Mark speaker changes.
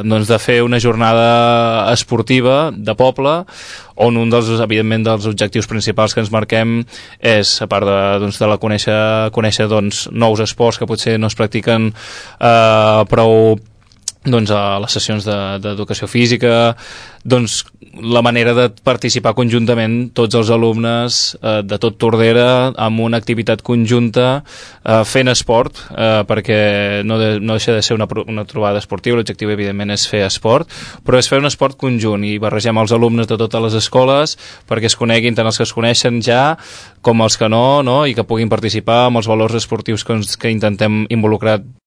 Speaker 1: doncs, de fer una jornada esportiva de poble on un dels, evidentment, dels objectius principals que ens marquem és, a part de conèixer doncs, nous esports que potser no es practiquen prou doncs, a les sessions d'educació física, doncs la manera de participar conjuntament tots els alumnes de tot Tordera amb una activitat conjunta fent esport, perquè no deixa de ser una trobada esportiva. L'objectiu evidentment és fer esport, però és fer un esport conjunt i barregem els alumnes de totes les escoles perquè es coneguin tant els que es coneixen ja com els que no, i que puguin participar amb els valors esportius que intentem involucrar